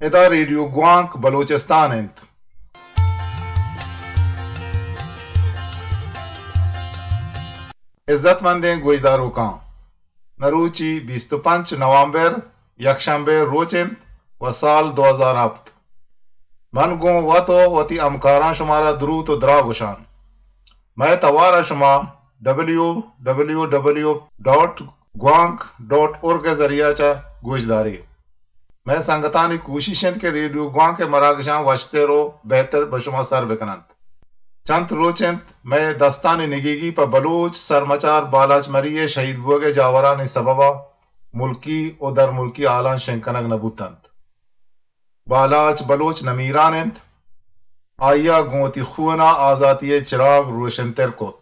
ادا ریڈیو گوانک بلوچستان انت۔ عزت مندیں گوشداروکاں، مروچی بیست و پنچ نومبر، یکشنبے روچ انت و سال دو ہزار ہپت۔ من گوں وت و وتی ہمکاراں شمارا دروت و دراہ گوشان۔ مئے توار ء شما ڈبلیو ڈبلیو ڈبلیو ڈاٹ گوانک ڈاٹ اورگ ء ذریعہ چہ گوشدارے۔ مئے سنگتانی کوشش انت کہ ریڈیو گوانک ء مراگشاں وشتر و بہتر بہ شما سر بکننت۔ چنت روچ انت مئے دستانی نگیگی پہ بلوچ سرمچار بالاچ مری ء شہید بوگ ء جاورانی سبب ء ملکی و درملکی حالاں شنگ کنگ نہ بوتنت۔ بالاچ بلوچ نمیران انت۔ آئی ء گوں وتی خون ء آزاتی ء چراگ روشنتر کت۔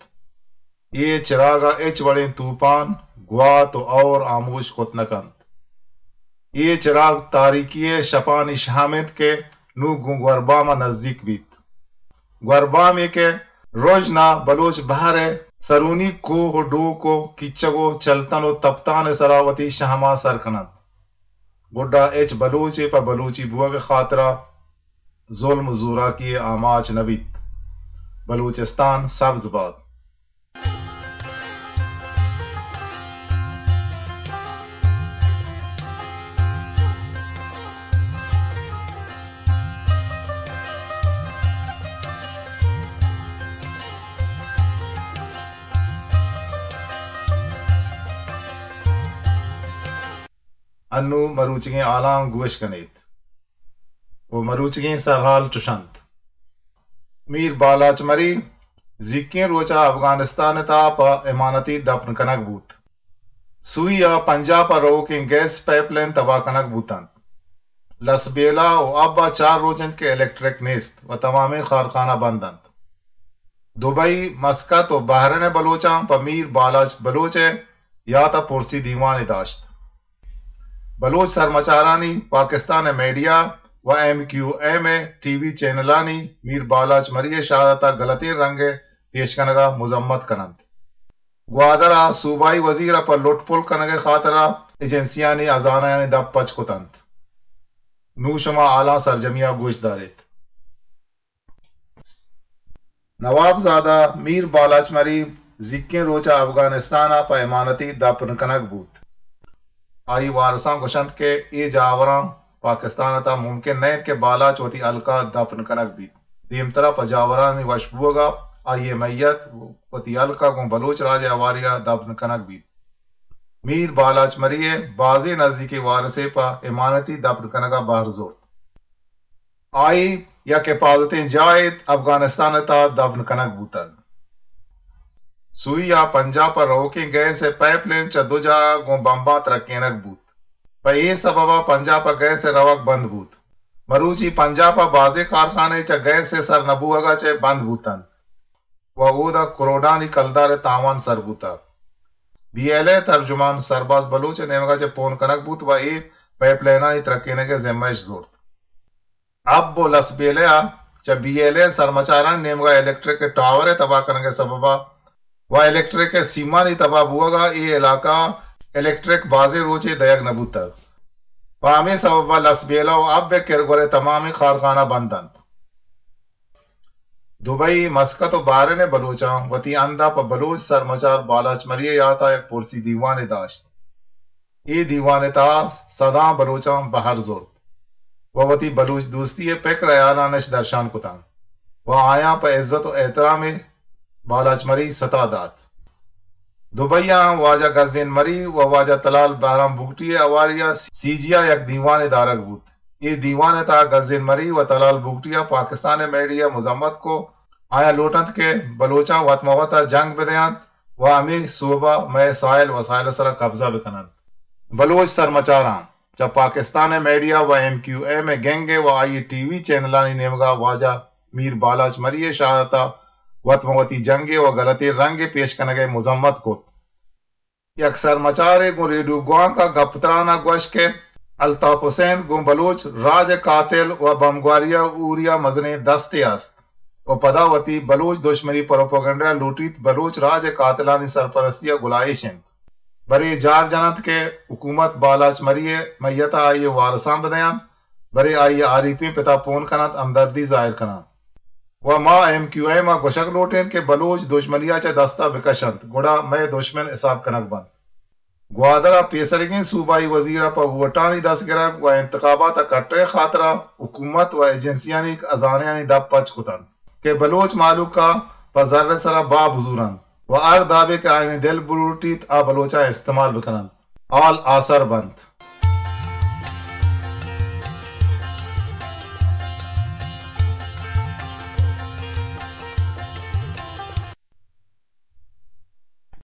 اے چراگ ء ہچ وڑیں توپان، گوات و ہور آموش کت نہ کنت۔ اے چراگ تاریکی ء شپانی شہم انت کہ نوں گوں گوربام ء نزیک بیت۔ گوربامے کہ رژن ء بلوچ بہر ء سرونی کوہ و ڈوک و کیچگ و چلتن و تپتان ء سرا وتی شہماں سر کننت۔ گڈا ہچ بلوچے پہ بلوچی بوگ ء خاطرا ظلم و زوراکی ء آماچ نہ بیت۔ بلوچستان سبز بات۔ انوں مروچیگیں حالاں گوش کنیت۔ و مروچیگیں سرحال چش انت۔ میر بالاچ مری زیکیں روچ ء افغانستان ء تہا پہ امانتی دپن کنگ بوت۔ سوئی ء پنجاب ء روکیں گیس پائپ لائن تباہ کنگ بوت انت۔ لسبیلہ و اب ء چار روچ انت کہ الیکٹرک نیست و تمامیں کارخانہ بند انت۔ دبئی، مسقط و بحرین ء بلوچاں پہ میر بالاچ بلوچ ء یات ء پرسی دیوانے داشت۔ بلوچ سرمچارانی پاکستان ء میڈیا و ایم کیو ایم ء ٹی وی چینلانی میر بالاچ مری ء شہادت ء غلطیں رنگ ء پیش کنگ ء مذمت کن انت۔ گوادر ء صوبائی وزیر ء پہ لٹ پل کنگ ء خاطر ء ایجنسیانی ہزانہانی دپ پچ کت انت۔ نوں شما حالاں سرجمی ء گوش داریت۔ نواب زادہ میر بالاچ مری زیکیں روچ ء افغانستان ء پہ امانتی دپن کنگ بوت۔ آئی وارساں گوشنت کہ اے جاوراں پاکستان ء تہا ممکن نہ انت کہ بالاچ وتی ہلک ء دپن کنگ بیت۔ دیمترا پہ جاورانی وش بوگ ء آئی ء میت وتی ہلک ء گوں بلوچ راج ء ہواری ء دپن کنگ بیت۔ میر بالاچ مری ء بازیں نزیکیں وارسے پہ امانتی دپن کنگ ء بہر زرت۔ آئی یک حفاظتیں جاہے افغانستان ء تہا دفن کنگ بوتگ۔ سوئی ء پنجاب ء روکیں گیس ء پائپ لین چہ دو جاہ ء گوں بمباں ترکینگ بوت۔ پہ اے سبب ء پنجاب ء گیس ء روگ بند بوت۔ مروچی پنجاب ء بازیں کارخانے چہ گیس ء سر نہ بوہگ ء چہ بند بوت انت و اودا کروڑانی کلدار ء تاوان سر بوتگ۔ بی ایل اے ترجمان سرباز بلوچ ء نیمگ ء چہ پون کنگ بوت و اے پائپ لینانی ترکینگ ء ذمہ اش زرت۔ اب و لسبیلہ ء چہ بی ایل اے سرمچارانی نیمگ ء الیکٹرک ء ٹاور ء تباہ کنگ ء سبب ء و الیکٹرک ء سیمانی تباہ بوگ ء اے علاقہ ء الیکٹرک بازیں روچے دئیگ نہ بوتگ۔ پہ ہمے سبب ء لسبیلہ و اب ء کرگور ء تمامیں کارخانہ بند انت۔ دبئی، مسقط و بحرین ء بلوچاں وتی ہند ء پہ بلوچ سرمچار بالاچ مری ء یات ء یک پرسی دیوانے داشت۔ اے دیوان ء تہا سداں بلوچاں بہر زرت و وتی بلوچ دوستی ء پکر ہیالان اش درشان کتاں و آیاں پہ عزت و احترام ء بالاچ مری ستا دات۔ دبئی ء واجہ گزین مری و واجہ تلال بہرام بگٹی ء ہواری ء سی جی ء یک دیوانے دارگ بوت۔ اے دیوان ء تہا گزین مری و تلال بگٹی ء پاکستان ء میڈیا ء مذمت کو۔ آیاں لوٹ انت کہ بلوچاں وت مہ وت ء جنگ بدینت و ہمے سوب ء مئے ساحل وسائل ء سرا قبضہ بکننت۔ بلوچ سرمچاراں چہ پاکستان ء میڈیا و ایم کیو ایم ء گنگ ء و آئی ٹی وی چینلانی نیمگ ء واجہ میر بالاچ مری ء شہادت ء وت مہ وتی جنگے و غلطیں رنگے پیش کنگ ء مذمت کت۔ یک سرمچارے گوں ریڈیو گوانک ء گپ تران ء گوشت کہ الطاف حسین گوں بلوچ راج ء قاتل و بمگواری ء اوری ء مزنیں دستے است و پدا وتی بلوچ دشمنی پروپیگنڈہ ء لوٹیت بلوچ راج ء قاتلانی سرپرستی ء گلائیش انت۔ برے جار جننت کہ حکومت بالاچ مری ء میت ء آئی ء وارساں بدینت بلے آئی ء آریپیں پتا پون کننت، ہمدردی ظاہر کناں۔ و ما ایم کیو ایم ء گوشگ لوٹیں کہ بلوچ دژمنی ء چہ دست ء بکش انت، گڑا مئے دژمن حساب کنگ بنت۔ گوادر ء پیسریگیں صوبائی وزیر ء پہ ووٹانی دست گرگ و انتخابات ء کٹگ ء خاطر ء حکومت و ایجنسیانی ہزانہانی دپ پچ کت انت کہ بلوچ مہلوک ء پہ زر ء سر ء بہا بزور انت و ہر دابے کہ آیانی دل بلوٹیت آ بلوچاں استعمال بکن انت، حال آسر بنت۔